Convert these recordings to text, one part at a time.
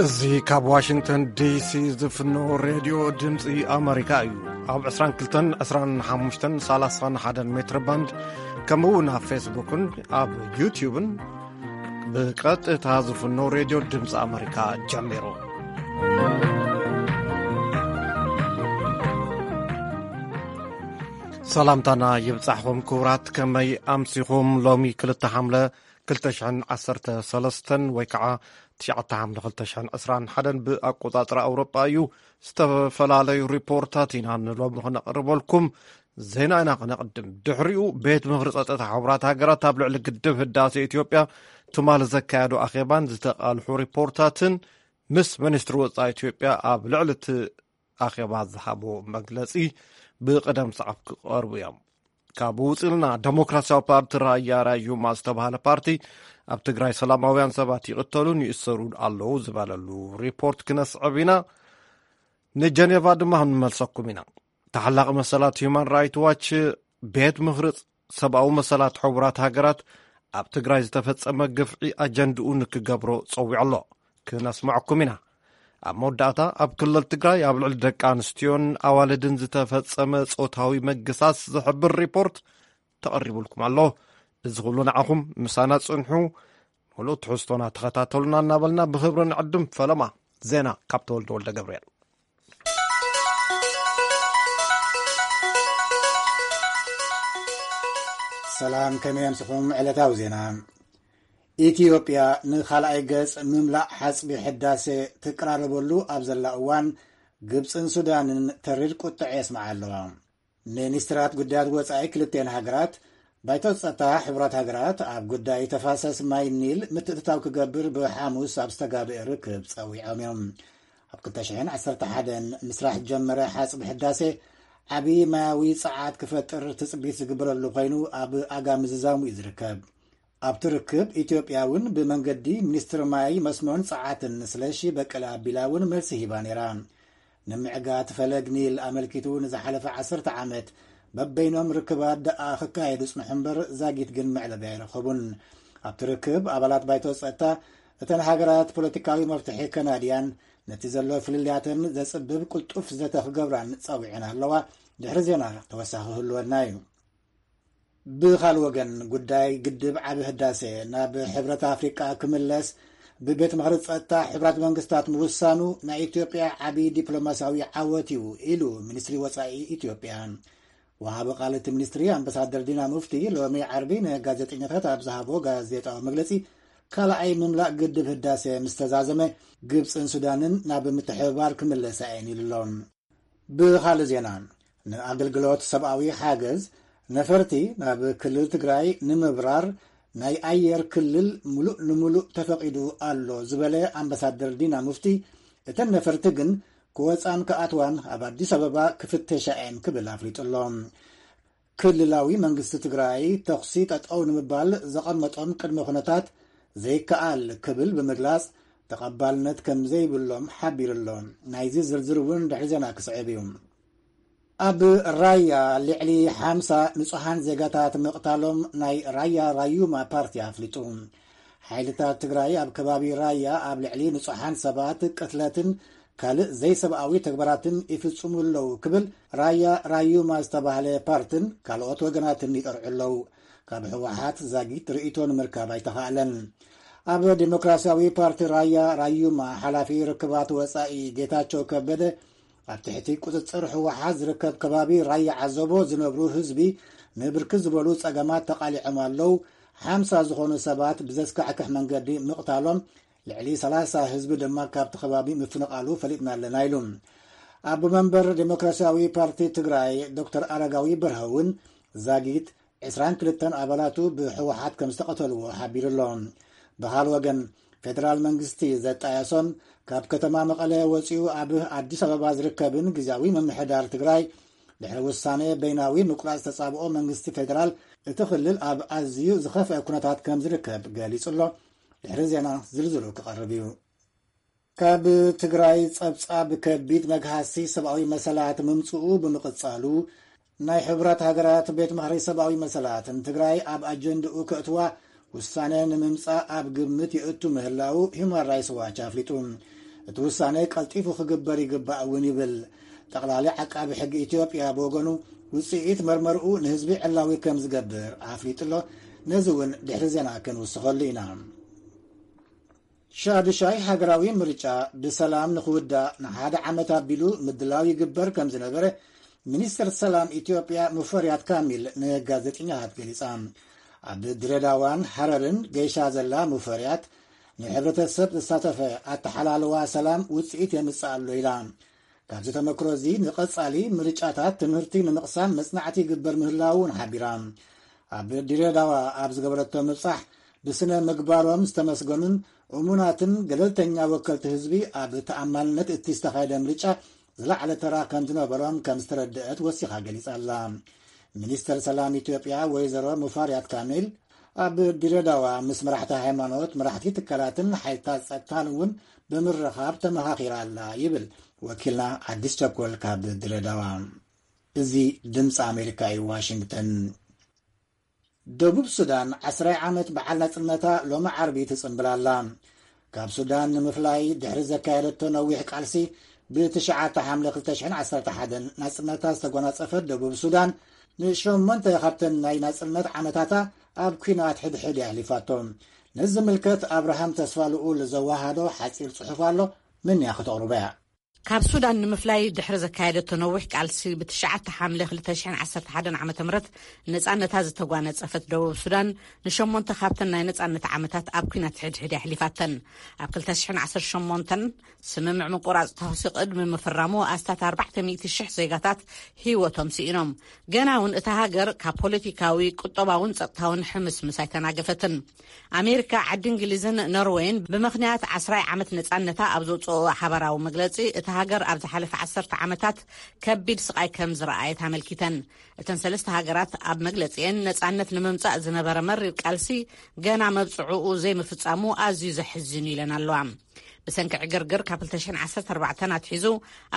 እዚ ካብ ዋሽንግተን ዲሲ ዝፍኖ ሬድዮ ድምፂ ኣመሪካ እዩ። ኣብ ዕስራን ክልተን፣ ዕስራን ሓሙሽተን፣ ሰላሳን ሓደን ሜትር ባንድ፣ ከምኡ እውን ኣብ ፌስቡክን ኣብ ዩትዩብን ብቀጥታ ዝፍኖ ሬድዮ ድምፂ ኣመሪካ ጀሚሩ። ሰላምታና ይብጻሕኹም ክቡራት፣ ከመይ ኣምሲኹም? ሎሚ ክልተ ሓምለ ክልተ ሽሕን ዓሰርተ ሰለስተን ወይ ከዓ ትሽዓተ ሓምለ ክልተ ሽሕን ዕስራን ሓደን ብኣቆጻጽራ ኣውሮጳ እዩ። ዝተፈላለዩ ሪፖርታት ኢና ንሎሚ ክነቕርበልኩም። ዜና ኢና ክነቕድም። ድሕሪኡ ቤት ምኽሪ ጸጥታ ሕቡራት ሃገራት ኣብ ልዕሊ ግድብ ህዳሴ ኢትዮጵያ ትማሊ ዘካየዶ ኣኼባን ዝተቓልሑ ሪፖርታትን ምስ ሚኒስትሪ ወጻኢ ኢትዮጵያ ኣብ ልዕሊ እቲ ኣኼባ ዝሃቦ መግለጺ ብቕደም ሰዓብ ክቐርቡ እዮም። ካብኡ ውጽልና ደሞክራሲያዊ ፓርቲ ራያ ራዩማ ዝተባህለ ፓርቲ ኣብ ትግራይ ሰላማውያን ሰባት ይቕተሉን ይእሰሩን ኣለዉ ዝበለሉ ሪፖርት ክነስዕብ ኢና። ንጀኔቫ ድማ ክንመልሰኩም ኢና። ተሓላቒ መሰላት ሁማን ራይት ዋች ቤት ምኽሪ ሰብኣዊ መሰላት ሕቡራት ሃገራት ኣብ ትግራይ ዝተፈጸመ ግፍዒ ኣጀንድኡ ንክገብሮ ጸዊዑ ኣሎ። ክነስምዐኩም ኢና። ኣብ መወዳእታ ኣብ ክልል ትግራይ ኣብ ልዕሊ ደቂ ኣንስትዮን ኣዋልድን ዝተፈጸመ ጾታዊ ምግሳስ ዝሕብር ሪፖርት ተቐሪቡልኩም ኣሎ። እዚ ኩሉ ንዓኹም ምሳና ጽንሑ፣ ሙሉእ ትሕዝቶና ተኸታተሉና እናበልና ብኽብሪ ንዕድም። ፈለማ ዜና ካብ ተወልደ ወልደ ገብርኤል። ሰላም፣ ከመይ ኣምስኹም? ዕለታዊ ዜና። ኢትዮጵያ ንኻልኣይ ገጽ ምምላእ ሓጽቢ ሕዳሴ ትቀራረበሉ ኣብ ዘላ እዋን፣ ግብጽን ሱዳንን ተሪር ቁጥዐ የስምዓ ኣለዋ። ሚኒስትራት ጉዳያት ወጻኢ ክልቴን ሃገራት፣ ባይቶ ጸጥታ ሕቡራት ሃገራት ኣብ ጉዳይ ተፋሰስ ማይ ኒል ምትእትታው ክገብር ብሓሙስ ኣብ ዝተጋብአ ርክብ ጸዊዖም እዮም። ኣብ ክልተ ሽሕን ዓሰርተ ሓደን ምስራሕ ጀመረ ሓጽቢ ሕዳሴ ዓቢ ማያዊ ጸዓት ክፈጥር ትጽቢት ዝግበረሉ ኮይኑ፣ ኣብ ኣጋ ምዝዛሙ እዩ ዝርከብ። ኣብቲ ርክብ ኢትዮጵያ እውን ብመንገዲ ሚኒስትሪ ማይ መስኖን ጸዓትን ስለሺ በቀለ ኣቢላ እውን መልሲ ሂባ ነይራ። ንምዕጋት ፈለግ ኒል ኣመልኪቱ ንዝሓለፈ ዓሰርተ ዓመት በበይኖም ርክባት ደኣ ክካየዱ ጽንሑ እምበር ዛጊት ግን መዕለቢ ኣይረኸቡን። ኣብቲ ርክብ ኣባላት ባይቶ ጸጥታ እተን ሃገራት ፖለቲካዊ መፍትሒ ከናድያን ነቲ ዘሎ ፍልልያተን ዘጽብብ ቅልጡፍ ዘተ ክገብራን ጸዊዐን ኣለዋ። ድሕሪ ዜና ተወሳኺ ክህልወና እዩ። ብኻልእ ወገን፣ ጉዳይ ግድብ ዓቢ ህዳሴ ናብ ሕብረት ኣፍሪቃ ክምለስ ብቤት ምኽሪ ጸጥታ ሕቡራት መንግስታት ምውሳኑ ናይ ኢትዮጵያ ዓቢ ዲፕሎማሲያዊ ዓወት እዩ ኢሉ ሚኒስትሪ ወጻኢ ኢትዮጵያ። ወሃቢ ቃል እቲ ሚኒስትሪ ኣምባሳደር ዲና ሙፍቲ ሎሚ ዓርቢ ንጋዜጠኛታት ኣብ ዝሃቦ ጋዜጣዊ መግለጺ፣ ካልኣይ ምምላእ ግድብ ህዳሴ ምስ ተዛዘመ ግብጽን ሱዳንን ናብ ምትሕብባር ክምለሳ እየን ኢሉ ኣሎ። ብኻልእ ዜና፣ ንኣገልግሎት ሰብኣዊ ሓገዝ ነፈርቲ ናብ ክልል ትግራይ ንምብራር ናይ ኣየር ክልል ሙሉእ ንሙሉእ ተፈቒዱ ኣሎ ዝበለ ኣምባሳደር ዲና ሙፍቲ፣ እተን ነፈርቲ ግን ክወፃን ክኣትዋን ኣብ ኣዲስ ኣበባ ክፍተሻ እየን ክብል ኣፍሊጡ ኣሎ። ክልላዊ መንግስቲ ትግራይ ተኹሲ ጠጠው ንምባል ዘቐመጦም ቅድመ ኩነታት ዘይከኣል ክብል ብምግላጽ፣ ተቐባልነት ከም ዘይብሎም ሓቢሩ ኣሎ። ናይዚ ዝርዝር እውን ድሕሪ ዜና ክስዕብ እዩ። ኣብ ራያ ልዕሊ ሓምሳ ንጹሃን ዜጋታት ምቕታሎም ናይ ራያ ራዩማ ፓርቲ ኣፍሊጡ። ሓይልታት ትግራይ ኣብ ከባቢ ራያ ኣብ ልዕሊ ንጹሃን ሰባት ቅትለትን ካልእ ዘይሰብኣዊ ተግባራትን ይፍጽሙ ኣለዉ ክብል ራያ ራዩማ ዝተባህለ ፓርትን ካልኦት ወገናትን ይጠርዑ ኣለዉ። ካብ ህወሓት ዛጊት ርእይቶ ንምርካብ ኣይተኻእለን። ኣብ ዴሞክራሲያዊ ፓርቲ ራያ ራዩማ ሓላፊ ርክባት ወጻኢ ጌታቸው ከበደ፣ ኣብ ትሕቲ ቁጽጽር ህወሓት ዝርከብ ከባቢ ራያ ዓዘቦ ዝነብሩ ህዝቢ ንብርክት ዝበሉ ጸገማት ተቓሊዖም ኣለዉ። ሓምሳ ዝኾኑ ሰባት ብዘስካሕክሕ መንገዲ ምቕታሎም፣ ልዕሊ ሰላሳ ህዝቢ ድማ ካብቲ ከባቢ ምፍንቓሉ ፈሊጥና ኣለና ኢሉ። ኣቦ መንበር ዴሞክራሲያዊ ፓርቲ ትግራይ ዶክተር ኣረጋዊ በርሀ እውን ዛጊት ዕስራን ክልተን ኣባላቱ ብህወሓት ከም ዝተቐተልዎ ሓቢሩ ኣሎ። ብኻል ወገን፣ ፌደራል መንግስቲ ዘጣየሶን ካብ ከተማ መቐለ ወፂኡ ኣብ ኣዲስ ኣበባ ዝርከብን ግዝያዊ ምምሕዳር ትግራይ ድሕሪ ውሳነ በይናዊ ምቁራፅ ተፃብኦ መንግስቲ ፌደራል፣ እቲ ክልል ኣብ ኣዝዩ ዝኸፍአ ኩነታት ከም ዝርከብ ገሊጹ ኣሎ። ድሕሪ ዜና ዝርዝሩ ክቐርብ እዩ። ካብ ትግራይ ጸብጻብ ከቢድ መግሃሲ ሰብኣዊ መሰላት ምምጽኡ ብምቕጻሉ፣ ናይ ሕቡራት ሃገራት ቤት ምኽሪ ሰብኣዊ መሰላት ንትግራይ ኣብ ኣጀንድኡ ከእትዋ ውሳነ ንምምጻእ ኣብ ግምት የእቱ ምህላው ሂውማን ራይትስ ዋች ኣፍሊጡ። እቲ ውሳነ ቀልጢፉ ክግበር ይግባእ እውን ይብል። ጠቕላሊ ዓቃቢ ሕጊ ኢትዮጵያ ብወገኑ፣ ውፅኢት መርመርኡ ንህዝቢ ዕላዊ ከም ዝገብር ኣፍሊጡ ኣሎ። ነዚ እውን ድሕሪ ዜና ክንውስኸሉ ኢና። ሻዱሻይ ሃገራዊ ምርጫ ብሰላም ንኽውዳእ ንሓደ ዓመት ኣቢሉ ምድላው ይግበር ከም ዝነበረ ሚኒስትር ሰላም ኢትዮጵያ ሙፈሪያት ካሚል ንጋዜጠኛታት ገሊጻ። ኣብ ድሬዳዋን ሃረርን ገይሻ ዘላ ሙፈሪያት፣ ንሕብረተሰብ ዘሳተፈ ኣተሓላልዋ ሰላም ውፅኢት የምፅእ ኣሎ ኢላ። ካብዚ ተመክሮ እዚ ንቐጻሊ ምርጫታት ትምህርቲ ንምቕሳም መጽናዕቲ ይግበር ምህላው እውን ሓቢራ። ኣብ ድሬዳዋ ኣብ ዝገበረቶ ምብጻሕ፣ ብስነ ምግባሮም ዝተመስገኑን እሙናትን ገለልተኛ ወከልቲ ህዝቢ ኣብ ተኣማንነት እቲ ዝተኻየደ ምርጫ ዝለዓለ ተራ ከም ዝነበሮም ከም ዝተረድአት ወሲኻ ገሊጻ ኣላ። ሚኒስተር ሰላም ኢትዮጵያ ወይዘሮ ሙፋሪያት ካሚል ኣብ ድሬዳዋ ምስ መራሕቲ ሃይማኖት፣ መራሕቲ ትካላትን ሓይልታት ጸጥታን እውን ብምርኻብ ተመኻኺራ ኣላ ይብል ወኪልና ኣዲስ ቸኮል ካብ ድሬዳዋ። እዚ ድምፂ ኣሜሪካ እዩ፣ ዋሽንግተን። ደቡብ ሱዳን ዓስራይ ዓመት በዓል ናጽነታ ሎሚ ዓርቢ ትጽንብል ኣላ። ካብ ሱዳን ንምፍላይ ድሕሪ ዘካየደቶ ነዊሕ ቃልሲ፣ ብ9 ሓምለ ክልተ ሽሕን ዓሰርተ ሓደን ናጽነታ ዝተጎናጸፈት ደቡብ ሱዳን፣ ንሸሞንተ ካብተን ናይ ናጽነት ዓመታታ ኣብ ኲናት ሕድሕድ የሕሊፋቶ። ነዚ ዝምልከት ኣብርሃም ተስፋ ልኡል ዘወሃዶ ሓጺር ጽሑፍ ኣሎ፣ ምንያ ክተቕርቦ እያ። ካብ ሱዳን ንምፍላይ ድሕሪ ዘካየደቶ ነዊሕ ቃልሲ፣ ብ9 ሓምለ ክልተ ሽሕን ዓሰርተ ሓደን ዓመተ ምህረት ነጻነታ ዝተጓነጸፈት ደቡብ ሱዳን፣ ንሸሞንተ ካብተን ናይ ነጻነት ዓመታት ኣብ ኲናት ሕድሕድ የሕሊፋተን። ኣብ ክልተ ሽሕን ዓሰርተ ሸሞንተን ስምምዕ ምቁራጽ ተኹሲ ቅድሚ ምፍራሙ፣ ኣስታት ኣርባዕተ ሚእቲ ሽሕ ዜጋታት ህይወቶም ስኢኖም። ገና እውን እታ ሃገር ካብ ፖለቲካዊ፣ ቁጠባውን ጸጥታውን ሕምስምስ ኣይተናገፈትን። ኣሜሪካ፣ ዓዲ እንግሊዝን ኖርወይን ብምኽንያት ዓስራይ ዓመት ነጻነታ ኣብ ዘውጽኦ ሓባራዊ መግለጺ፣ እታ ሃገር ኣብ ዝሓለፈ ዓሰርተ ዓመታት ከቢድ ስቓይ ከም ዝረኣየት ኣመልኪተን። እተን ሰለስተ ሃገራት ኣብ መግለጺአን፣ ነጻነት ንምምጻእ ዝነበረ መሪር ቃልሲ ገና መብጽዕኡ ዘይምፍጻሙ ኣዝዩ ዘሕዝን ኢለን ኣለዋ። ብሰንኪ ዕግርግር ካብ ክልተ ሽሕን ዓሰርተ ኣርባዕተን ኣትሒዙ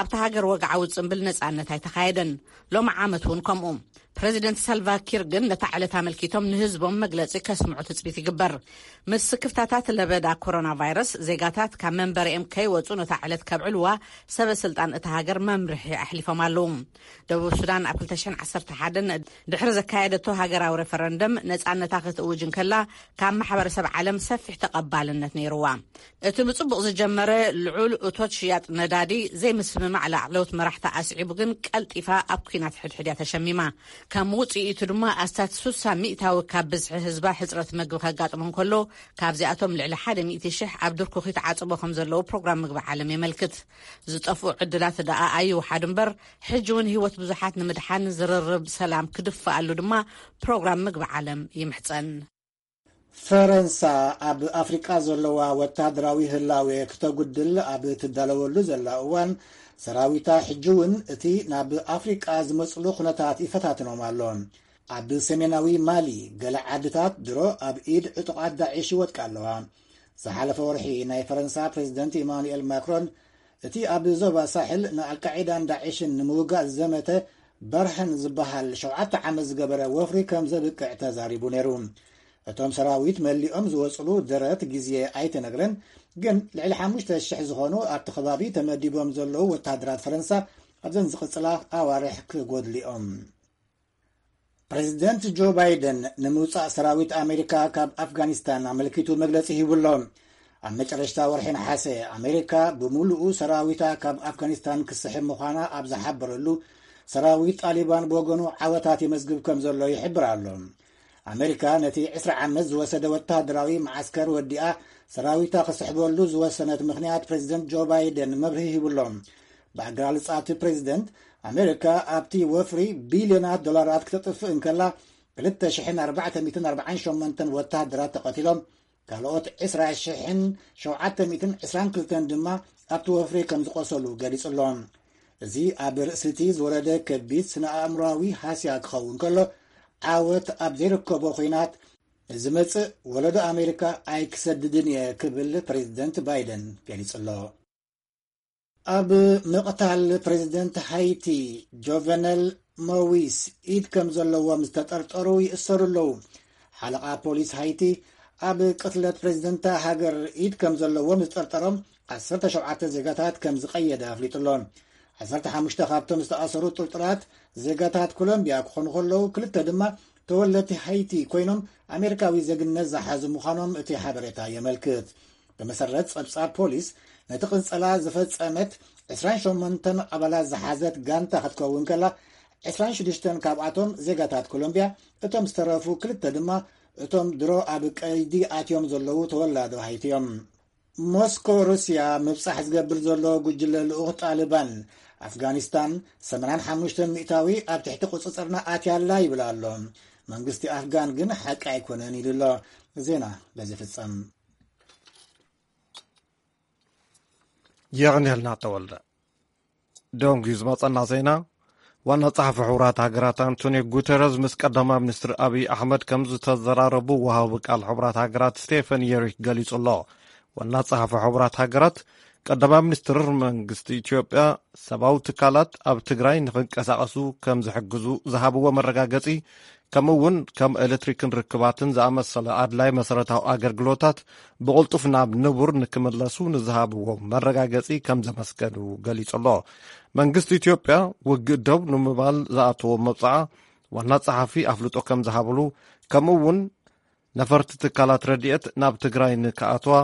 ኣብታ ሃገር ወግዓዊ ጽምብል ነጻነት ኣይተኻየደን። ሎሚ ዓመት እውን ከምኡ። ፕረዚደንት ሳልቫ ኪር ግን ነታ ዕለት ኣመልኪቶም ንህዝቦም መግለጺ ከስምዑ ትጽቢት ይግበር። ምስ ስክፍታታት ለበዳ ኮሮና ቫይረስ፣ ዜጋታት ካብ መንበሪኦም ከይወጹ ነታ ዕለት ከብዕልዋ ሰበ ስልጣን እታ ሃገር መምርሒ ኣሕሊፎም ኣለዉ። ደቡብ ሱዳን ኣብ ክልተ ሽሕን ዓሰርተ ሓደን ድሕሪ ዘካየደቶ ሃገራዊ ሬፈረንደም ነጻነታ ክትእውጅ እንከላ፣ ካብ ማሕበረሰብ ዓለም ሰፊሕ ተቐባልነት ነይርዋ። እቲ ብጽቡቕ ዝጀመረ ልዑል እቶት ሽያጥ ነዳዲ ዘይምስምማዕ ላዕለዎት መራሕቲ ኣስዒቡ ግን ቀልጢፋ ኣብ ኲናት ሕድሕድ እያ ተሸሚማ። ከም ውጽኢቱ ድማ ኣስታት ስሳ ሚእታዊ ካብ ብዝሒ ህዝባ ሕጽረት መግቢ ከጋጥሞ እንከሎ፣ ካብዚኣቶም ልዕሊ ሓደ ሚእቲ ሽሕ ኣብ ድርኩኺ ተዓጽቦ ከም ዘለዉ ፕሮግራም ምግቢ ዓለም የመልክት። ዝጠፍኡ ዕድላት ደኣ ኣይውሓዱ እምበር፣ ሕጂ እውን ህይወት ብዙሓት ንምድሓን ዝርርብ ሰላም ክድፋኣሉ ድማ ፕሮግራም ምግቢ ዓለም ይምሕጸን። ፈረንሳ ኣብ ኣፍሪቃ ዘለዋ ወተሃደራዊ ህላዌ ክተጉድል ኣብ ትዳለወሉ ዘላ እዋን፣ ሰራዊታ ሕጂ እውን እቲ ናብ ኣፍሪቃ ዝመጽሉ ኩነታት ይፈታትኖም ኣሎ። ኣብ ሰሜናዊ ማሊ፣ ገለ ዓድታት ድሮ ኣብ ኢድ ዕጡቓት ዳዒሽ ይወድቃ ኣለዋ። ዝሓለፈ ወርሒ፣ ናይ ፈረንሳ ፕሬዚደንት ኢማኑኤል ማክሮን፣ እቲ ኣብ ዞባ ሳሕል ንኣልቃዒዳን ዳዒሽን ንምውጋእ ዝዘመተ በርሀን ዝበሃል ሸውዓተ ዓመት ዝገበረ ወፍሪ ከም ዘብቅዕ ተዛሪቡ ነይሩ። እቶም ሰራዊት መሊኦም ዝወጽሉ ደረት ግዜ ኣይተነግረን፣ ግን ልዕሊ ሓሙሽተ ሽሕ ዝኾኑ ኣብቲ ከባቢ ተመዲቦም ዘለዉ ወተሃደራት ፈረንሳ ኣብዘን ዝቕጽላ ኣዋርሕ ክጎድሉ እዮም። ፕሬዚደንት ጆ ባይደን ንምውጻእ ሰራዊት ኣሜሪካ ካብ ኣፍጋኒስታን ኣመልኪቱ መግለጺ ሂቡ ኣሎ። ኣብ መጨረሽታ ወርሒ ነሓሰ፣ ኣሜሪካ ብምሉኡ ሰራዊታ ካብ ኣፍጋኒስታን ክስሕብ ምዃና ኣብ ዝሓበረሉ፣ ሰራዊት ጣሊባን ብወገኑ ዓወታት የመዝግብ ከም ዘሎ ይሕብር ኣሎ። ኣሜሪካ ነቲ ዕስራ ዓመት ዝወሰደ ወተሃደራዊ መዓስከር ወዲኣ፣ ሰራዊታ ክስሕበሉ ዝወሰነት ምኽንያት ፕሬዚደንት ጆ ባይደን መብርሂ ሂቡ ኣሎ። ብኣገላልጻ እቲ ፕሬዚደንት፣ ኣሜሪካ ኣብቲ ወፍሪ ቢልዮናት ዶላራት ክተጥፍእ እንከላ፣ ክልተ ሽሕን ኣርባዕተ ሚእትን ኣርባዓን ሸሞንተን ወተሃደራት ተቐቲሎም፣ ካልኦት ዕስራ ሽሕን ሸውዓተ ሚእትን ዕስራን ክልተን ድማ ኣብቲ ወፍሪ ከም ዝቖሰሉ ገሊጹ ኣሎ። እዚ ኣብ ርእሲ እቲ ዝወረደ ከቢድ ስነ ኣእምሮኣዊ ሃስያ ክኸውን ከሎ፣ ዓወት ኣብ ዘይርከቦ ኲናት ዝመጽእ ወለዶ ኣሜሪካ ኣይክሰድድን እየ ክብል ፕሬዚደንት ባይደን ገሊጹ ኣሎ። ኣብ ምቕታል ፕሬዚደንት ሃይቲ ጆቨነል ሞዊስ ኢድ ከም ዘለዎም ዝተጠርጠሩ ይእሰሩ ኣለዉ። ሓለቓ ፖሊስ ሃይቲ፣ ኣብ ቅትለት ፕሬዚደንት ሃገር ኢድ ከም ዘለዎም ዝጠርጠሮም ዓሰርተ ሸውዓተ ዜጋታት ከም ዝቐየደ ኣፍሊጡ ኣሎ። ዓሰርተ ሓሙሽተ ካብቶም ዝተኣሰሩ ጥርጡራት ዜጋታት ኮሎምቢያ ክኾኑ ከለዉ፣ ክልተ ድማ ተወለድቲ ሃይቲ ኮይኖም፣ ኣሜሪካዊ ዜግነት ዝሓዙ ምዃኖም እቲ ሓበሬታ የመልክት። ብመሰረት ጸብጻብ ፖሊስ፣ ነቲ ቅንጸላ ዝፈጸመት ዕስራን ሸሞንተን ኣባላት ዝሓዘት ጋንታ ክትከውን ከላ፣ ዕስራን ሽዱሽተን ካብኣቶም ዜጋታት ኮሎምቢያ፣ እቶም ዝተረፉ ክልተ ድማ እቶም ድሮ ኣብ ቀይዲ ኣትዮም ዘለዉ ተወላዶ ሃይቲ እዮም። ሞስኮ፣ ሩስያ ምብጻሕ ዝገብር ዘሎ ጉጅለ ልኡኽ ጣሊባን፣ ኣፍጋኒስታን ሰማንያን ሓሙሽተን ሚእታዊ ኣብ ትሕቲ ቁጽጽርና ኣትያ ኣላ ይብል ኣሎ። መንግስቲ ኣፍጋን ግን ሓቂ ኣይኮነን ኢሉ ኣሎ። ዜና በዚ ፍጸም። የቕንየልና ተወልደ። ደንጉዩ ዝመጸና ዜና፣ ዋና ጸሓፊ ሕቡራት ሃገራት ኣንቶኒዮ ጉተረዝ ምስ ቀዳማይ ሚኒስትር ኣብይ ኣሕመድ ከም ዝተዘራረቡ ወሃቢ ቃል ሕቡራት ሃገራት ስቴፈን የሪክ ገሊጹ ኣሎ። ዋና ጸሓፊ ሕቡራት ሃገራት፣ ቀዳማይ ሚኒስትር መንግስቲ ኢትዮጵያ ሰብኣዊ ትካላት ኣብ ትግራይ ንኽንቀሳቐሱ ከም ዝሕግዙ ዝሃብዎ መረጋገጺ፣ ከምኡ እውን ከም ኤሌክትሪክን ርክባትን ዝኣመሰለ ኣድላይ መሰረታዊ ኣገልግሎታት ብቕልጡፍ ናብ ንቡር ንክምለሱ ንዝሃብዎ መረጋገጺ ከም ዘመስገኑ ገሊጹ ኣሎ። መንግስቲ ኢትዮጵያ ውግእ ደው ንምባል ዝኣተዎ መብጽዓ ዋና ጸሓፊ ኣፍልጦ ከም ዝሃብሉ፣ ከምኡ እውን ነፈርቲ ትካላት ረድኤት ናብ ትግራይ ንክኣትዋ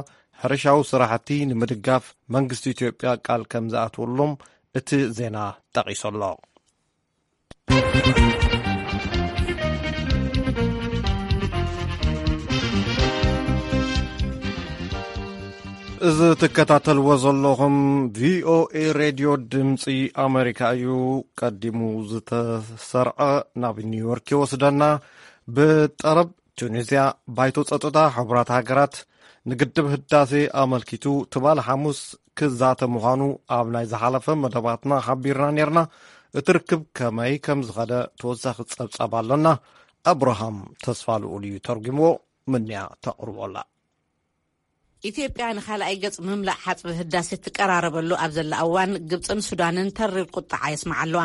ሕርሻዊ ስራሕቲ ንምድጋፍ መንግስቲ ኢትዮጵያ ቃል ከም ዝኣትወሎም እቲ ዜና ጠቒሱ ኣሎ። እዚ ትከታተልዎ ዘለኹም ቪኦኤ ሬድዮ ድምፂ ኣሜሪካ እዩ። ቀዲሙ ዝተሰርዐ ናብ ኒውዮርክ ይወስደና። ብጠረብ ቱኒዝያ፣ ባይቶ ጸጥታ ሕቡራት ሃገራት ንግድብ ህዳሴ ኣመልኪቱ ትማሊ ሓሙስ ክዛተ ምዃኑ ኣብ ናይ ዝሓለፈ መደባትና ሓቢርና ኔርና። እቲ ርክብ ከመይ ከም ዝኸደ ተወሳኺ ጸብጻብ ኣለና። ኣብርሃም ተስፋ ልኡል እዩ ተርጉምዎ። ምንያ ተቕርቦ ኣላ። ኢትዮጵያ ንኻልኣይ ገጽ ምምላእ ሓጽቢ ህዳሴ ትቀራረበሉ ኣብ ዘላ እዋን፣ ግብጽን ሱዳንን ተሪር ቁጥዓ የስምዓ ኣለዋ።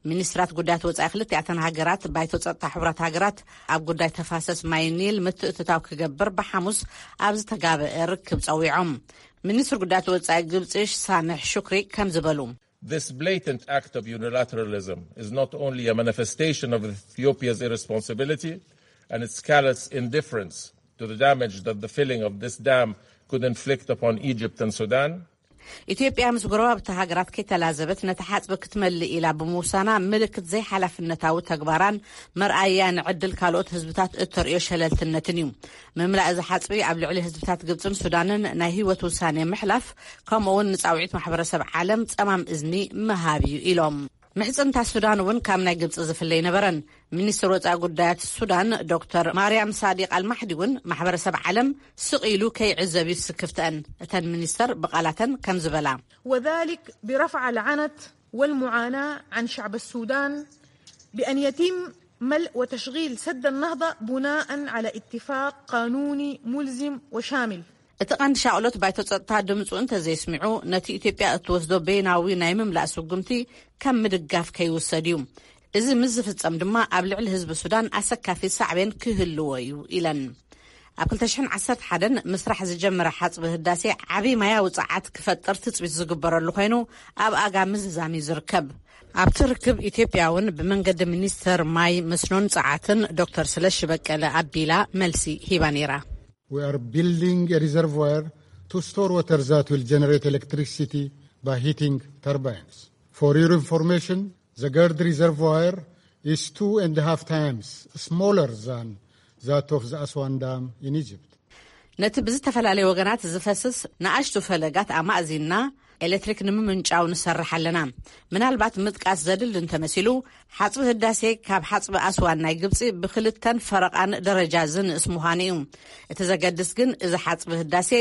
ሚኒስትራት ጉዳያት ወጻኢ ክልቲኣተን ሃገራት፣ ባይቶ ጸጥታ ሕቡራት ሃገራት ኣብ ጉዳይ ተፋሰስ ማይ ኒል ምትእትታው ክገብር ብሓሙስ ኣብ ዝተጋበአ ርክብ ጸዊዖም። ሚኒስትር ጉዳያት ወጻኢ ግብጺ ሳምሕ ሹክሪ ከም ዝበሉ፣ This blatant act of unilateralism is not only a manifestation of Ethiopia's irresponsibility and its callous indifference to the damage that the filling of this dam could inflict upon Egypt and Sudan. ኢትዮጵያ ምስ ጎረባብቲ ሃገራት ከይተላዘበት ነቲ ሓጽቢ ክትመልእ ኢላ ብምውሳና፣ ምልክት ዘይሓላፍነታዊ ተግባራን መርኣያ ንዕድል ካልኦት ህዝብታት እተርእዮ ሸለልትነትን እዩ። ምምላእ እዚ ሓጽቢ ኣብ ልዕሊ ህዝብታት ግብጽን ሱዳንን ናይ ህይወት ውሳኔ ምሕላፍ፣ ከምኡውን ንጻውዒት ማሕበረሰብ ዓለም ጸማም እዝኒ ምሃብ እዩ ኢሎም። ምሕጽንታ ሱዳን እውን ካብ ናይ ግብጺ ዝፍለ ኣይነበረን። ሚኒስትር ወጻኢ ጉዳያት ሱዳን ዶክተር ማርያም ሳዲቅ ኣልማሕዲ እውን ማሕበረሰብ ዓለም ስቕ ኢሉ ከይዕዘብ እዩ ስክፍተአን። እተን ሚኒስተር ብቓላተን ከም ዝበላ፣ وذلك برفع العنت والمعاناة عن شعب السودان بأن يتم ملء وتشغيل سد النهضة بناء على اتفاق قانوني ملزم وشامل. እቲ ቀንዲ ሻቕሎት ባይቶ ጸጥታ ድምፁ እንተዘይስሚዑ፣ ነቲ ኢትዮጵያ እትወስዶ በይናዊ ናይ ምምላእ ስጉምቲ ከም ምድጋፍ ከይውሰድ እዩ። እዚ ምስ ዝፍጸም ድማ ኣብ ልዕሊ ህዝቢ ሱዳን ኣሰካፊ ሳዕቤን ክህልዎ እዩ ኢለን። ኣብ ክልተ ሽሕን ዓሰርተ ሓደን ምስራሕ ዝጀመረ ሓጽቢ ህዳሴ ዓቢ ማያዊ ጸዓት ክፈጥር ትጽቢት ዝግበረሉ ኮይኑ፣ ኣብ ኣጋ ምዝዛም እዩ ዝርከብ። ኣብቲ ርክብ፣ ኢትዮጵያ እውን ብመንገዲ ሚኒስተር ማይ፣ መስኖን ጸዓትን ዶክተር ስለሺ በቀለ ኣቢላ መልሲ ሂባ ነይራ። We are building a reservoir to store water that will generate electricity by heating turbines. For your information, the Gerd reservoir is two and a half times smaller than that of the Aswan Dam in Egypt. ነቲ ብዝተፈላለየ ወገናት ዝፈስስ ንኣሽቱ ፈለጋት ኣማእዚንና ኤሌክትሪክ ንምምንጫው ንሰርሕ ኣለና። ምናልባት ምጥቃስ ዘድሊ እንተመሲሉ፣ ሓጽቢ ህዳሴ ካብ ሓጽቢ ኣስዋን ናይ ግብጺ ብክልተን ፈረቓን ደረጃ ዝንእስ ምዃኑ እዩ። እቲ ዘገድስ ግን፣ እዚ ሓጽቢ ህዳሴ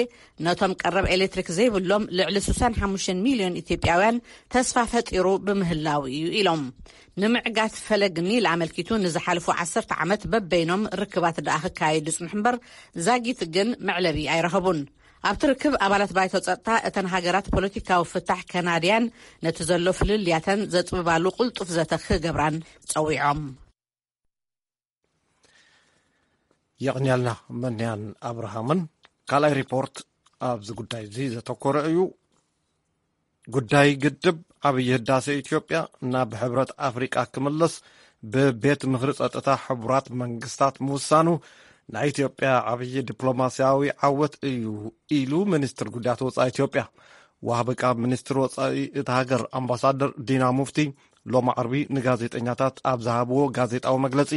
ነቶም ቀረብ ኤሌክትሪክ ዘይብሎም ልዕሊ ስሳን ሓሙሽተን ሚልዮን ኢትዮጵያውያን ተስፋ ፈጢሩ ብምህላው እዩ ኢሎም። ንምዕጋት ፈለግ ኒል ኣመልኪቱ ንዝሓለፉ ዓሰርተ ዓመት በበይኖም ርክባት ደኣ ክካየዱ ይጽንሑ እምበር፣ ዛጊት ግን መዕለቢ ኣይረኸቡን። ኣብቲ ርክብ፣ ኣባላት ባይቶ ጸጥታ እተን ሃገራት ፖለቲካዊ ፍታሕ ከናድያን ነቲ ዘሎ ፍልልያተን ዘጽብባሉ ቅልጡፍ ዘተ ክገብራን ጸዊዖም። የቕንያልና መንያን ኣብርሃምን። ካልኣይ ሪፖርት ኣብዚ ጉዳይ እዚ ዘተኮረ እዩ። ጉዳይ ግድብ ዓብዪ ህዳሴ ኢትዮጵያ ናብ ሕብረት ኣፍሪቃ ክምለስ ብቤት ምኽሪ ጸጥታ ሕቡራት መንግስታት ምውሳኑ ናይ ኢትዮጵያ ዓብዪ ዲፕሎማስያዊ ዓወት እዩ ኢሉ ሚኒስትር ጉዳያት ወጻኢ ኢትዮጵያ። ወሃቢ ቃል ሚኒስትር ወጻኢ እታ ሃገር ኣምባሳደር ዲና ሙፍቲ ሎሚ ዓርቢ ንጋዜጠኛታት ኣብ ዝሃብዎ ጋዜጣዊ መግለጺ፣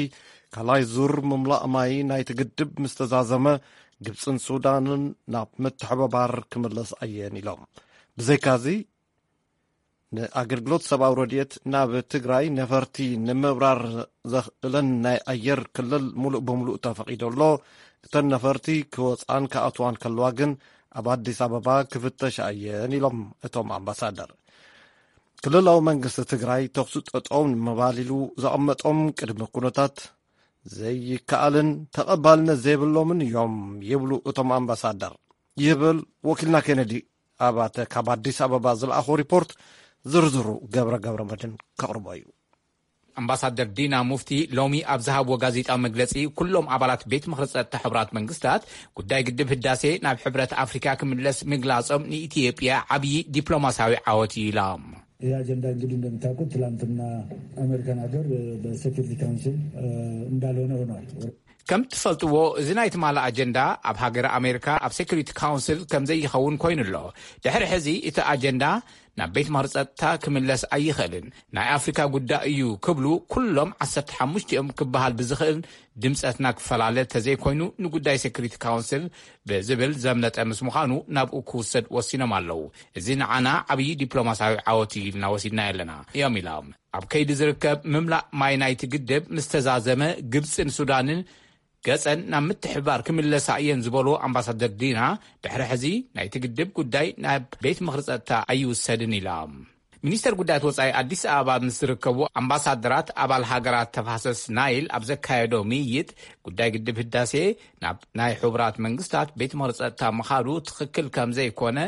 ካልኣይ ዙር ምምላእ ማይ ናይቲ ግድብ ምስ ተዛዘመ፣ ግብጽን ሱዳንን ናብ ምትሕብባር ክምለስ ኣየን ኢሎም። ብዘይካዚ፣ ንኣገልግሎት ሰብኣዊ ረድኤት ናብ ትግራይ ነፈርቲ ንምብራር ዘኽእለን ናይ ኣየር ክልል ሙሉእ ብምሉእ ተፈቒዱ ኣሎ። እተን ነፈርቲ ክወፅኣን ክኣትዋን ከለዋ ግን ኣብ ኣዲስ ኣበባ ክፍተሻ እየን ኢሎም እቶም ኣምባሳደር። ክልላዊ መንግስቲ ትግራይ ተኹሲ ጠጠው ንምባል ኢሉ ዘቐመጦም ቅድመ ኩነታት ዘይከኣልን ተቐባልነት ዘይብሎምን እዮም ይብሉ እቶም ኣምባሳደር። ይብል ወኪልና ኬነዲ ኣባተ ካብ ኣዲስ ኣበባ ዝለኣኾ ሪፖርት። ዝርዝሩ ገብረ ገብረ መድን ከቕርቦ እዩ። ኣምባሳደር ዲና ሙፍቲ ሎሚ ኣብ ዝሃብዎ ጋዜጣዊ መግለጺ፣ ኩሎም ኣባላት ቤት ምኽሪ ጸጥታ ሕቡራት መንግስታት ጉዳይ ግድብ ህዳሴ ናብ ሕብረት ኣፍሪካ ክምለስ ምግላጾም ንኢትዮጵያ ዓብዪ ዲፕሎማስያዊ ዓወት እዩ ኢሎም። ይህ አጀንዳ እንግዲህ እንደምታውቁት ትላንትና አሜሪካን ሀገር በሴኩሪቲ ካውንስል እንዳልሆነ ሆኗል። ከም ትፈልጥዎ፣ እዚ ናይ ትማሊ ኣጀንዳ ኣብ ሃገረ ኣሜሪካ ኣብ ሴኩሪቲ ካውንስል ከም ዘይኸውን ኮይኑ ኣሎ። ድሕሪ ሕዚ እቲ ኣጀንዳ ናብ ቤት ምኽሪ ጸጥታ ክምለስ ኣይኽእልን፣ ናይ ኣፍሪካ ጉዳይ እዩ ክብሉ ኩሎም ዓሰርተ ሓሙሽቲኦም ክበሃል ብዝኽእል ድምፀትና ክፈላለ ተዘይኮይኑ ንጉዳይ ሴኩሪቲ ካውንስል ብዝብል ዘምለጠ ምስ ምዃኑ ናብኡ ክውሰድ ወሲኖም ኣለዉ። እዚ ንዓና ዓብዪ ዲፕሎማስያዊ ዓወት እዩ ኢልና ወሲድና ኣለና እዮም ኢሎም። ኣብ ከይዲ ዝርከብ ምምላእ ማይ ናይቲ ግድብ ምስ ተዛዘመ ግብፅን ሱዳንን ገፀን ናብ ምትሕብባር ክምለሳ እየን ዝበሉ ኣምባሳደር ዲና፣ ድሕሪ ሕዚ ናይቲ ግድብ ጉዳይ ናብ ቤት ምኽሪ ጸጥታ ኣይውሰድን ኢሎም። ሚኒስተር ጉዳያት ወጻኢ ኣዲስ ኣበባ ምስ ዝርከቡ ኣምባሳደራት ኣባል ሃገራት ተፋሰስ ናይል ኣብ ዘካየዶ ምይይጥ፣ ጉዳይ ግድብ ህዳሴ ናብ ናይ ሕቡራት መንግስታት ቤት ምኽሪ ጸጥታ ምኻዱ ትኽክል ከም ዘይኮነ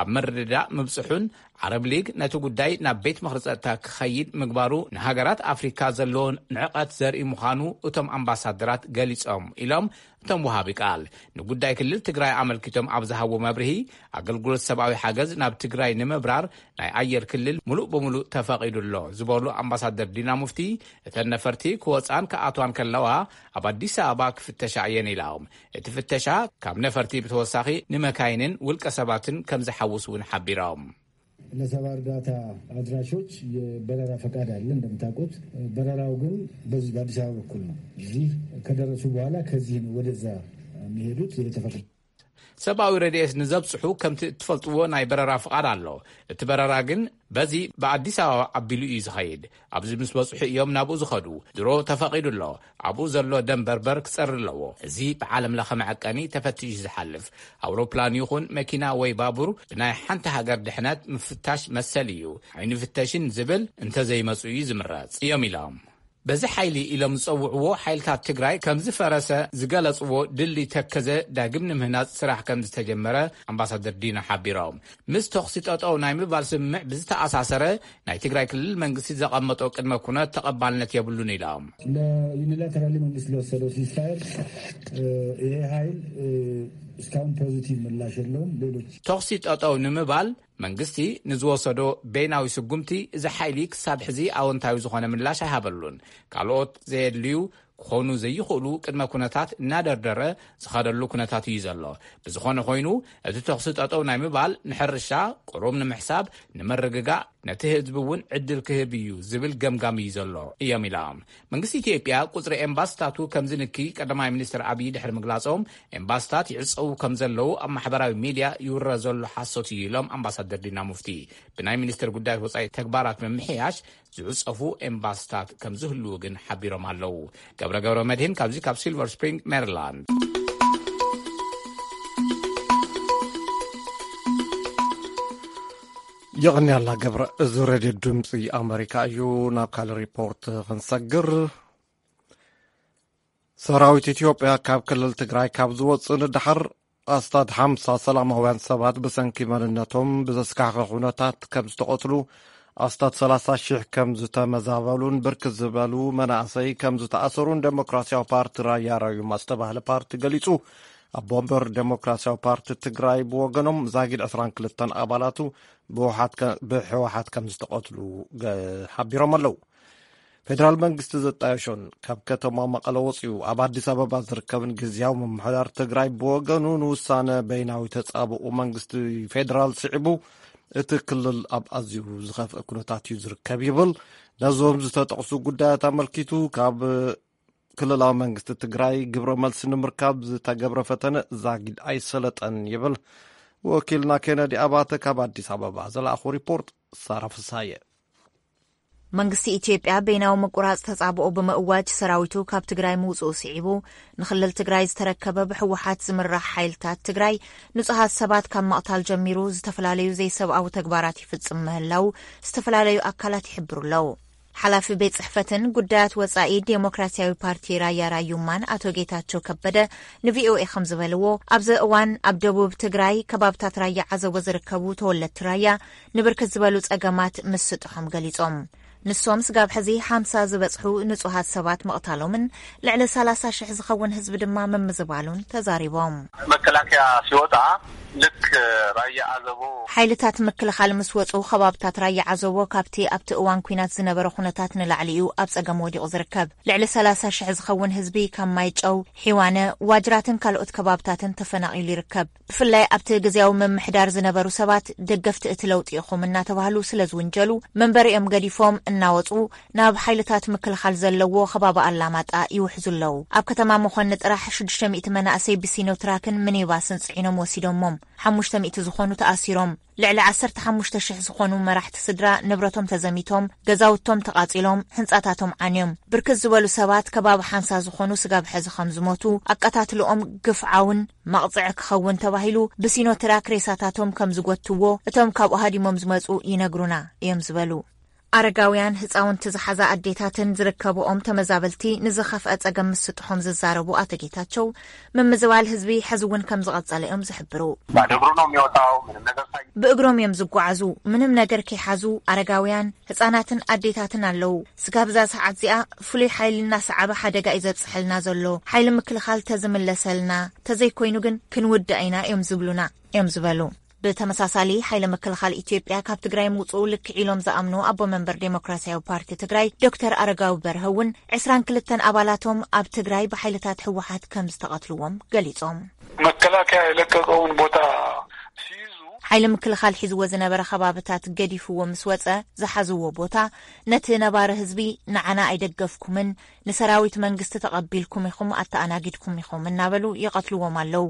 ኣብ ምርድዳእ ምብጽሑን፣ ዓረብ ሊግ ነቲ ጉዳይ ናብ ቤት ምኽሪ ጸጥታ ክኸይድ ምግባሩ ንሃገራት ኣፍሪካ ዘለዎ ንዕቐት ዘርኢ ምዃኑ እቶም ኣምባሳደራት ገሊጾም ኢሎም እቶም ወሃቢ ቃል። ንጉዳይ ክልል ትግራይ ኣመልኪቶም ኣብ ዝሃብዎ መብርሂ፣ ኣገልግሎት ሰብኣዊ ሓገዝ ናብ ትግራይ ንምብራር ናይ ኣየር ክልል ሙሉእ ብሙሉእ ተፈቒዱ ኣሎ ዝበሉ ኣምባሳደር ዲና ሙፍቲ፣ እተን ነፈርቲ ክወፃን ክኣትዋን ከለዋ ኣብ ኣዲስ ኣበባ ክፍተሻ እየን ኢሎም። እቲ ፍተሻ ካብ ነፈርቲ ብተወሳኺ ንመካይንን ውልቀ ሰባትን ከም ዝሓውስ እውን ሓቢሮም። ለሰብአዊ እርዳታ አድራሾች የበረራ ፈቃድ አለ እንደምታውቁት። በረራው ግን በዚህ በአዲስ አበባ በኩል ነው። እዚህ ከደረሱ በኋላ ከዚህ ነው ወደዛ የሚሄዱት። ይሄ ተፈቅዶ ሰብኣዊ ረድኤት ንዘብጽሑ ከምቲ እትፈልጥዎ ናይ በረራ ፍቓድ ኣሎ። እቲ በረራ ግን በዚ ብኣዲስ ኣበባ ኣቢሉ እዩ ዝኸይድ። ኣብዚ ምስ በጽሑ እዮም ናብኡ ዝኸዱ። ድሮ ተፈቒዱ ኣሎ። ኣብኡ ዘሎ ደም በርበር ክጸሪ ኣለዎ። እዚ ብዓለም ለኸ መዐቀኒ ተፈቲሹ ዝሓልፍ። ኣውሮፕላን ይኹን መኪና ወይ ባቡር ብናይ ሓንቲ ሃገር ድሕነት ምፍታሽ መሰል እዩ። ኣይንፍተሽን ዝብል እንተዘይመጹ እዩ ዝምረጽ እዮም ኢሎም። በዚ ሓይሊ ኢሎም ዝጸውዕዎ ሓይልታት ትግራይ ከም ዝፈረሰ ዝገለጽዎ ድልድይ ተከዘ ዳግም ንምህናጽ ስራሕ ከም ዝተጀመረ ኣምባሳደር ዲና ሓቢሮም። ምስ ተኹሲ ጠጠው ናይ ምባል ስምምዕ ብዝተኣሳሰረ ናይ ትግራይ ክልል መንግስቲ ዘቐመጦ ቅድመ ኩነት ተቐባልነት የብሉን ኢሎም። ለዩኒላተራሊ መንግስት ለወሰደው ሲስፋየር ይሄ ኃይል እስካሁን ፖዚቲቭ ምላሽ የለውም። ሌሎች ተኹሲ ጠጠው ንምባል መንግስቲ ንዝወሰዶ በይናዊ ስጉምቲ እዚ ሓይሊ ክሳብ ሕዚ ኣወንታዊ ዝኾነ ምላሽ ኣይሃበሉን። ካልኦት ዘየድልዩ ክኾኑ ዘይኽእሉ ቅድመ ኩነታት እናደርደረ ዝኸደሉ ኩነታት እዩ ዘሎ። ብዝኾነ ኮይኑ እቲ ተኹሲ ጠጠው ናይ ምባል ንሕርሻ ቁሩብ ንምሕሳብ ንምርግጋእ ነቲ ህዝቢ እውን ዕድል ክህብ እዩ ዝብል ገምጋም እዩ ዘሎ እዮም ኢሎም። መንግስቲ ኢትዮጵያ ቁጽሪ ኤምባስታቱ ከም ዝንኪ ቀዳማይ ሚኒስትር ኣብይ ድሕሪ ምግላጾም፣ ኤምባስታት ይዕጸዉ ከም ዘለዉ ኣብ ማሕበራዊ ሚድያ ይውረ ዘሎ ሓሶት እዩ ኢሎም ኣምባሳደር ዲና ሙፍቲ። ብናይ ሚኒስትር ጉዳያት ወጻኢ ተግባራት ምምሕያሽ ዝዕጸፉ ኤምባስታት ከም ዝህልዉ ግን ሓቢሮም ኣለዉ። ገብረ ገብረ መድህን ካብዚ ካብ ሲልቨር ስፕሪንግ ሜሪላንድ። የቕንያላ ገብረ። እዚ ሬድዮ ድምፂ ኣመሪካ እዩ። ናብ ካልእ ሪፖርት ክንሰግር። ሰራዊት ኢትዮጵያ ካብ ክልል ትግራይ ካብ ዝወፅእ ንደሓር ኣስታት ሓምሳ ሰላማውያን ሰባት ብሰንኪ መንነቶም ብዘስካሕኸ ኩነታት ከም ዝተቐትሉ፣ ኣስታት ሰላሳ ሺሕ ከም ዝተመዛበሉን ብርክት ዝበሉ መናእሰይ ከም ዝተኣሰሩን ዴሞክራሲያዊ ፓርቲ ራያ ራዩማ ዝተባህለ ፓርቲ ገሊጹ። ኣቦ ወንበር ዴሞክራሲያዊ ፓርቲ ትግራይ ብወገኖም ዛጊድ ዕስራን ክልተን ኣባላቱ ብህወሓት ከ-፣ ብህወሓት ከም ዝተቐትሉ ገ-፣ ሓቢሮም ኣለዉ። ፌደራል መንግስቲ ዘጣየሾን ካብ ከተማ መቐለ ወፂኡ ኣብ ኣዲስ ኣበባ ዝርከብን ግዝያዊ ምምሕዳር ትግራይ ብወገኑ ንውሳነ በይናዊ ተፃብኡ መንግስቲ ፌደራል ስዒቡ እቲ ክልል ኣብ ኣዝዩ ዝኸፍአ ኩነታት እዩ ዝርከብ ይብል። ነዞም ዝተጠቕሱ ጉዳያት ኣመልኪቱ ካብ ክልላዊ መንግስቲ ትግራይ ግብረ መልሲ ንምርካብ ዝተገብረ ፈተነ ዛጊድ ኣይሰለጠን ይብል ወኪልና ኬነዲ ኣባተ ካብ ኣዲስ ኣበባ ዝለኣኹ ሪፖርት። ሳራ ፍሳየ። መንግስቲ ኢትዮጵያ በይናዊ ምቁራጽ ተጻብኦ ብምእዋጅ ሰራዊቱ ካብ ትግራይ ምውጽኡ ስዒቡ ንክልል ትግራይ ዝተረከበ ብህወሓት ዝምራሕ ሓይልታት ትግራይ ንጹሃት ሰባት ካብ መቕታል ጀሚሩ ዝተፈላለዩ ዘይሰብኣዊ ተግባራት ይፍጽም ምህላው ዝተፈላለዩ ኣካላት ይሕብሩ ኣለዉ። ሓላፊ ቤት ጽሕፈትን ጉዳያት ወጻኢ ዴሞክራሲያዊ ፓርቲ ራያ ራዩማን ኣቶ ጌታቸው ከበደ ንቪኦኤ ከም ዝበልዎ፣ ኣብዚ እዋን ኣብ ደቡብ ትግራይ ከባብታት ራያ ዓዘቦ ዝርከቡ ተወለድቲ ራያ ንብርክት ዝበሉ ጸገማት ምስጥሖም ገሊጾም። ንሶም ስጋብ ሕዚ ሓምሳ ዝበጽሑ ንጹሃት ሰባት ምቕታሎምን ልዕሊ ሰላሳ ሽሕ ዝኸውን ህዝቢ ድማ ምምዝባሉን ተዛሪቦም። መከላከያ ሲወጣ ልክ ራያ ዓዘቦ ሓይልታት ምክልኻል ምስ ወጹ፣ ከባብታት ራያ ዓዘቦ ካብቲ ኣብቲ እዋን ኲናት ዝነበረ ኩነታት ንላዕሊ እዩ ኣብ ጸገም ወዲቑ ዝርከብ። ልዕሊ ሰላሳ ሽሕ ዝኸውን ህዝቢ ካብ ማይጨው፣ ሒዋነ፣ ዋጅራትን ካልኦት ከባብታትን ተፈናቒሉ ይርከብ። ብፍላይ ኣብቲ ግዝያዊ ምምሕዳር ዝነበሩ ሰባት ደገፍቲ እቲ ለውጢ ኢኹም እናተባህሉ ስለ ዝውንጀሉ፣ መንበሪኦም ገዲፎም እናወጹ ናብ ሓይልታት ምክልኻል ዘለዎ ከባቢ ኣላማጣ ይውሕዙ ኣለዉ። ኣብ ከተማ መኾኒ ጥራሕ ሽዱሽተ ሚእቲ መናእሰይ ብሲኖትራክን ሚኒባስን ጽዒኖም ወሲዶሞም። ሓሙሽተ ሚእቲ ዝኾኑ ተኣሲሮም። ልዕሊ ዓሰርተ ሓሙሽተ ሽሕ ዝኾኑ መራሕቲ ስድራ ንብረቶም ተዘሚቶም፣ ገዛውቶም ተቓጺሎም፣ ህንጻታቶም ዓንዮም። ብርክት ዝበሉ ሰባት ከባቢ ሓምሳ ዝኾኑ ስጋብ ሕዚ ከም ዝሞቱ፣ ኣቀታትልኦም ግፍዓውን መቕጽዒ ክኸውን ተባሂሉ ብሲኖትራክ ሬሳታቶም ከም ዝጎትዎ እቶም ካብኡ ሃዲሞም ዝመጹ ይነግሩና እዮም ዝበሉ። ኣረጋውያን፣ ህጻውንቲ ዝሓዛ ኣዴታትን ዝርከብኦም ተመዛበልቲ ንዝኸፍአ ጸገም ምስጥሖም ዝዛረቡ ኣቶ ጌታቸው፣ ምምዝባል ህዝቢ ሕዚ እውን ከም ዝቐጸለ እዮም ዝሕብሩ። ባዶ እግሩ ነው የሚወጣው። ምንም ነገር ሳይ ብእግሮም እዮም ዝጓዓዙ፣ ምንም ነገር ከይሓዙ። ኣረጋውያን፣ ህጻናትን ኣዴታትን ኣለዉ። ስጋብ እዛ ሰዓት እዚኣ ፍሉይ ሓይሊ እናሰዓበ ሓደጋ እዩ ዘብጽሐልና ዘሎ። ሓይሊ ምክልኻል ተዝምለሰልና፣ ተዘይኮይኑ ግን ክንውዳእ ኢና እዮም ዝብሉና እዮም ዝበሉ። ብተመሳሳሊ፣ ሓይሊ ምክልኻል ኢትዮጵያ ካብ ትግራይ ምውፅኡ ልክዕ ኢሎም ዝኣምኑ ኣቦ መንበር ዴሞክራሲያዊ ፓርቲ ትግራይ ዶክተር ኣረጋዊ በርሀ እውን ዕስራን ክልተን ኣባላቶም ኣብ ትግራይ ብሓይልታት ህወሓት ከም ዝተቐትልዎም ገሊጾም። መከላከያ የለቀቀውን ቦታ ሲይዙ ሓይሊ ምክልኻል ሒዝዎ ዝነበረ ከባብታት ገዲፍዎ ምስ ወፀ፣ ዝሓዝዎ ቦታ ነቲ ነባሪ ህዝቢ ንዓና ኣይደገፍኩምን፣ ንሰራዊት መንግስቲ ተቐቢልኩም ኢኹም፣ ኣተኣናጊድኩም ኢኹም እናበሉ ይቐትልዎም ኣለዉ።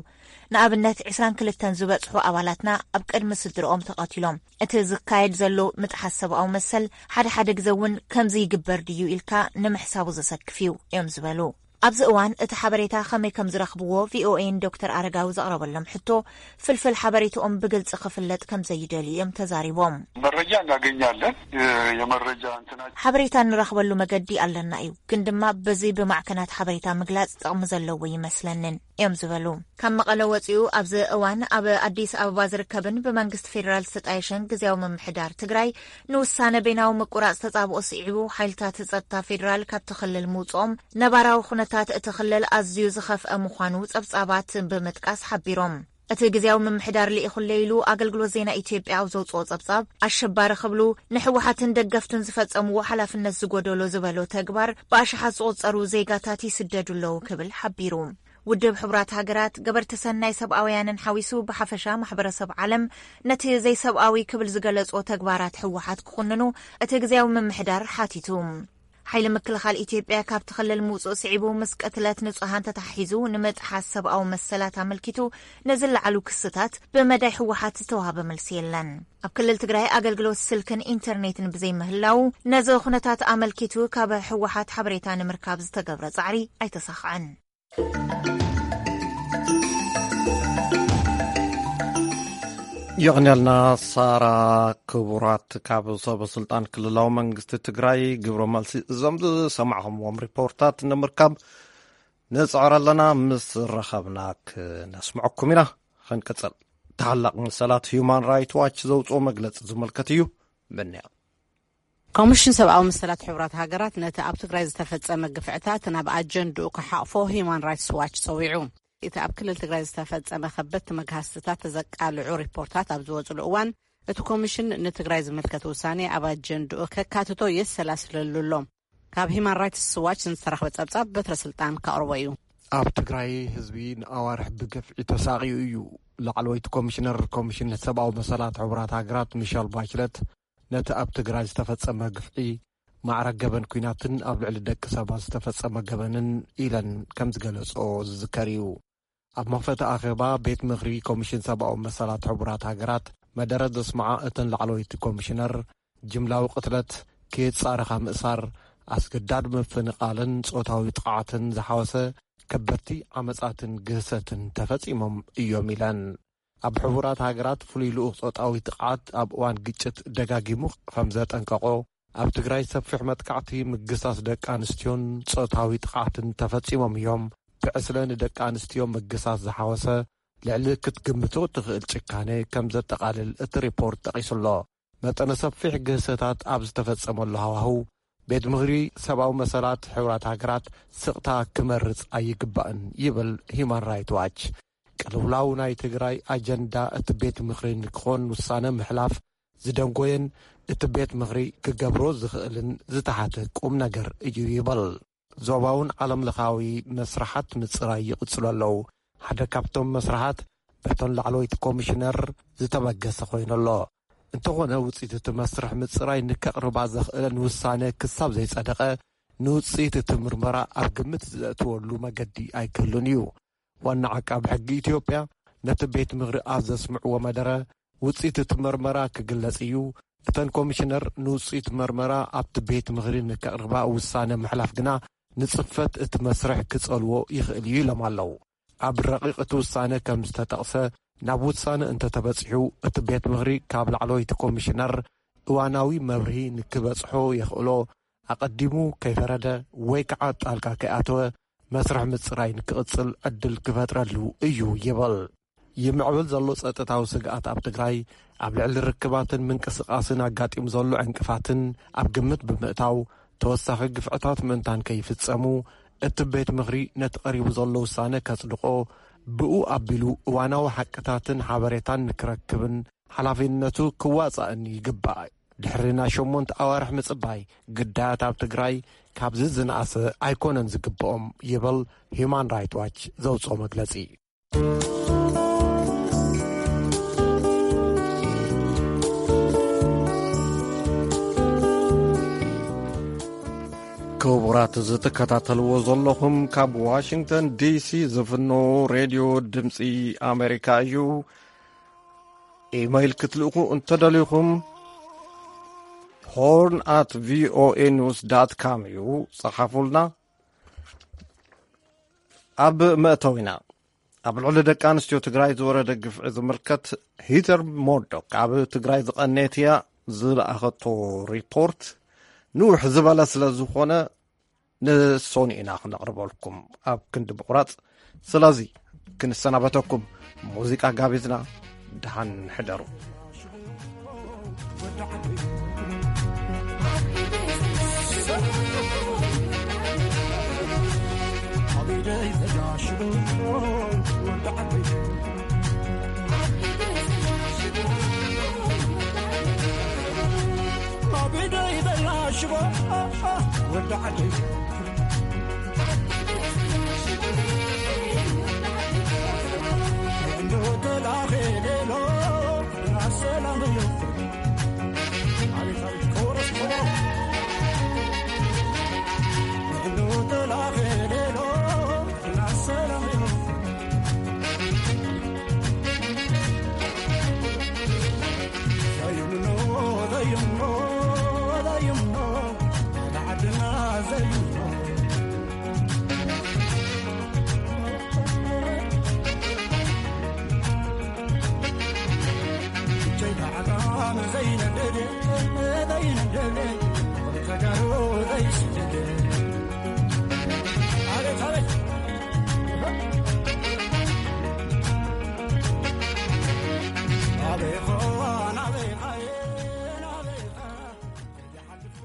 ንኣብነት ዕስራን ክልተን ዝበጽሑ ኣባላትና ኣብ ቅድሚ ስድርኦም ተቐቲሎም። እቲ ዝካየድ ዘሎ ምጥሓስ ሰብኣዊ መሰል ሓደ ሓደ ግዘ እውን ከምዚ ይግበር ድዩ ኢልካ ንምሕሳቡ ዘሰክፍ እዩ እዮም ዝበሉ። ኣብዚ እዋን እቲ ሓበሬታ ከመይ ከም ዝረኽብዎ ቪኦኤን ዶክተር ኣረጋዊ ዘቕረበሎም ሕቶ፣ ፍልፍል ሓበሬታኦም ብግልጺ ክፍለጥ ከም ዘይደልዩ እዮም ተዛሪቦም። መረጃ እናገኛለን። የ-፣ የመረጃ እንትና ሓበሬታ እንረኽበሉ መገዲ ኣለና እዩ፣ ግን ድማ በዚ ብማዕከናት ሓበሬታ ምግላጽ ጥቕሚ ዘለዎ ይመስለንን እዮም ዝበሉ። ካብ መቐለ ወጺኡ ኣብዚ እዋን ኣብ ኣዲስ ኣበባ ዝርከብን ብመንግስቲ ፌዴራል ዝተጣየሸን ግዝያዊ ምምሕዳር ትግራይ ንውሳነ በይናዊ ምቁራጽ ተጻብኦ ስዒቡ፣ ሓይልታት ጸጥታ ፌዴራል ካብቲ ክልል ምውጽኦም፣ ነባራዊ ኩነታት እቲ ክልል ኣዝዩ ዝኸፍአ ምዃኑ ጸብጻባት ብምጥቃስ ሓቢሮም። እቲ ግዝያዊ ምምሕዳር ልኢኹለይ ኢሉ ኣገልግሎት ዜና ኢትዮጵያ ኣብ ዘውጽኦ ጸብጻብ፣ ኣሸባሪ ክብሉ ንህወሓትን ደገፍቱን ዝፈጸምዎ ሓላፍነት ዝጎደሎ ዝበሎ ተግባር፣ ብኣሽሓት ዝቑጸሩ ዜጋታት ይስደዱ ኣለዉ ክብል ሓቢሩ። ውድብ ሕቡራት ሃገራት፣ ገበርቲ ሰናይ ሰብኣውያንን ሓዊሱ ብሓፈሻ ማሕበረሰብ ዓለም ነቲ ዘይሰብኣዊ ክብል ዝገለጾ ተግባራት ህወሓት ክኹንኑ እቲ ግዝያዊ ምምሕዳር ሓቲቱ። ሓይሊ ምክልኻል ኢትዮጵያ ካብቲ ክልል ምውፅኡ ስዒቡ ምስ ቅትለት ንጹሃን ተተሓሒዙ ንምጥሓስ ሰብኣዊ መሰላት ኣመልኪቱ ንዝለዓሉ ክስታት ብመዳይ ህወሓት ዝተዋህበ መልሲ የለን። ኣብ ክልል ትግራይ ኣገልግሎት ስልክን ኢንተርኔትን ብዘይምህላው ነዚ ኩነታት ኣመልኪቱ ካብ ህወሓት ሓበሬታ ንምርካብ ዝተገብረ ጻዕሪ ኣይተሳኽዐን። የቕንያልና ሳራ። ክቡራት፣ ካብ ሰበ ስልጣን ክልላዊ መንግስቲ ትግራይ ግብረ መልሲ እዞም ዝሰማዕኹምዎም ሪፖርታት ንምርካብ ንጽዕር ኣለና። ምስ ረኸብና ክነስምዐኩም ኢና። ክንቅጽል። ተሓላቕ መሰላት ሁማን ራይት ዋች ዘውፅኦ መግለጺ ዝምልከት እዩ። ምንያ ኮሚሽን ሰብኣዊ መሰላት ሕቡራት ሃገራት ነቲ ኣብ ትግራይ ዝተፈጸመ ግፍዕታት ናብ ኣጀንድኡ ክሓቕፎ ሂዩማን ራይትስ ዋች ጸዊዑ። እቲ ኣብ ክልል ትግራይ ዝተፈጸመ ከበድቲ መግሃስትታት ዘቃልዑ ሪፖርታት ኣብ ዝወጽሉ እዋን፣ እቲ ኮሚሽን ንትግራይ ዝምልከት ውሳኔ ኣብ ኣጀንድኡ ከካትቶ የሰላስለሉ ኣሎ። ካብ ሂማን ራይትስ ዋች ዝተረኽበ ጸብጻብ በትረ ስልጣን ከቕርቦ እዩ። ኣብ ትግራይ ህዝቢ ንኣዋርሕ ብግፍዒ ተሳቒዩ እዩ። ላዕለወይቲ ኮሚሽነር ኮሚሽን ሰብኣዊ መሰላት ሕቡራት ሃገራት ሚሸል ባችለት ነቲ ኣብ ትግራይ ዝተፈጸመ ግፍዒ ማዕረ ገበን ኲናትን ኣብ ልዕሊ ደቂ ሰባት ዝተፈጸመ ገበንን ኢለን ከም ዝገለጽኦ ዝዝከር እዩ። ኣብ መኽፈቲ ኣኼባ ቤት ምኽሪ ኮሚሽን ሰብኣዊ መሰላት ሕቡራት ሃገራት መደረ ዘስምዓ እተን ላዕለወይቲ ኮሚሽነር፣ ጅምላዊ ቅትለት፣ ከየጻረኻ ምእሳር፣ ኣስገዳድ ምፍንቓልን ጾታዊ ጥቕዓትን ዝሓወሰ ከበድቲ ዓመጻትን ግህሰትን ተፈጺሞም እዮም ኢለን። ኣብ ሕቡራት ሃገራት ፍሉይ ልኡኽ ጾታዊ ጥቕዓት ኣብ እዋን ግጭት ደጋጊሙ ከም ዘጠንቀቖ፣ ኣብ ትግራይ ሰፊሕ መጥቃዕቲ፣ ምግሳስ ደቂ ኣንስትዮን ጾታዊ ጥቕዓትን ተፈጺሞም እዮም። ብዕስለ ንደቂ ኣንስትዮ ምግሳስ ዝሓወሰ ልዕሊ ክትግምቶ እትኽእል ጭካኔ ከም ዘጠቓልል እቲ ሪፖርት ጠቒሱ ኣሎ። መጠነ ሰፊሕ ግህሰታት ኣብ ዝተፈጸመሉ ሃዋህው፣ ቤት ምኽሪ ሰብኣዊ መሰላት ሕቡራት ሃገራት ስቕታ ክመርጽ ኣይግባእን ይብል ሂማን ራይት ዋች። ቅልውላው ናይ ትግራይ ኣጀንዳ እቲ ቤት ምኽሪ ንክኾን ውሳነ ምሕላፍ ዝደንጎየን እቲ ቤት ምኽሪ ክገብሮ ዝኽእልን ዝተሓተ ቁም ነገር እዩ ይብል። ዞባውን ዓለም ለኻዊ መስርሓት ምጽራይ ይቕጽሉ ኣለዉ። ሓደ ካብቶም መስርሓት በተን ላዕለወይቲ ኮሚሽነር ዝተበገሰ ኮይኑ ኣሎ። እንተኾነ ውጽኢት እቲ መስርሕ ምጽራይ ንከቕርባ ዘኽእለን ውሳነ ክሳብ ዘይጸደቐ ንውጽኢት እቲ ምርመራ ኣብ ግምት ዘእትወሉ መገዲ ኣይክህሉን እዩ። ዋና ዓቃቢ ሕጊ ኢትዮጵያ ነቲ ቤት ምኽሪ ኣብ ዘስምዕዎ መደረ ውጽኢት እቲ መርመራ ክግለጽ እዩ። እተን ኮሚሽነር ንውጽኢት መርመራ ኣብቲ ቤት ምኽሪ ንከቕርባ ውሳነ ምሕላፍ ግና ንጽፈት እቲ መስርሕ ክጸልዎ ይኽእል እዩ ኢሎም ኣለዉ። ኣብ ረቂቕ እቲ ውሳነ ከም ዝተጠቕሰ፣ ናብ ውሳነ እንተተበጺሑ እቲ ቤት ምኽሪ ካብ ላዕለወይቲ ኮሚሽነር እዋናዊ መብርሂ ንክበጽሖ የኽእሎ፣ ኣቐዲሙ ከይፈረደ ወይ ከዓ ጣልቃ ከይኣተወ መስርሕ ምጽራይ ንክቕጽል ዕድል ክፈጥረሉ እዩ ይብል። ይምዕብል ዘሎ ጸጥታዊ ስግኣት ኣብ ትግራይ ኣብ ልዕሊ ርክባትን ምንቅስቓስን ኣጋጢሙ ዘሎ ዕንቅፋትን ኣብ ግምት ብምእታው፣ ተወሳኺ ግፍዕታት ምእንታን ከይፍጸሙ እቲ ቤት ምኽሪ ነቲ ቀሪቡ ዘሎ ውሳነ ከጽድቖ፣ ብኡ ኣቢሉ እዋናዊ ሓቅታትን ሓበሬታን ንክረክብን ሓላፊነቱ ክዋጻእን ይግባእ። ድሕሪ ናይ ሸሞንተ ኣዋርሕ ምጽባይ፣ ግዳያት ኣብ ትግራይ ካብዚ ዝነኣሰ ኣይኮነን ዝግብኦም ይብል ሂማን ራይት ዋች ዘውጽኦ መግለጺ። ክቡራት፣ እዚ ትከታተልዎ ዘለኹም ካብ ዋሽንግተን ዲሲ ዝፍኖ ሬድዮ ድምፂ ኣሜሪካ እዩ። ኢመይል ክትልእኹ እንተደሊኹም፣ ሆርን ኣት ቪኦኤ ኒውስ ዳት ካም እዩ። ጸሓፉልና። ኣብ መእተዊና፣ ኣብ ልዕሊ ደቂ ኣንስትዮ ትግራይ ዝወረደ ግፍዒ ዝምልከት፣ ሂተር ሞርዶክ ኣብ ትግራይ ዝቐነየት እያ ዝለኣኸቶ ሪፖርት ንውሕ ዝበለ ስለ ዝኾነ፣ ንሶኒ ኢና ክነቕርበልኩም ኣብ ክንዲ ምቑራጽ። ስለዚ ክንሰናበተኩም ሙዚቃ ጋቢዝና፣ ደሓን ሕደሩ።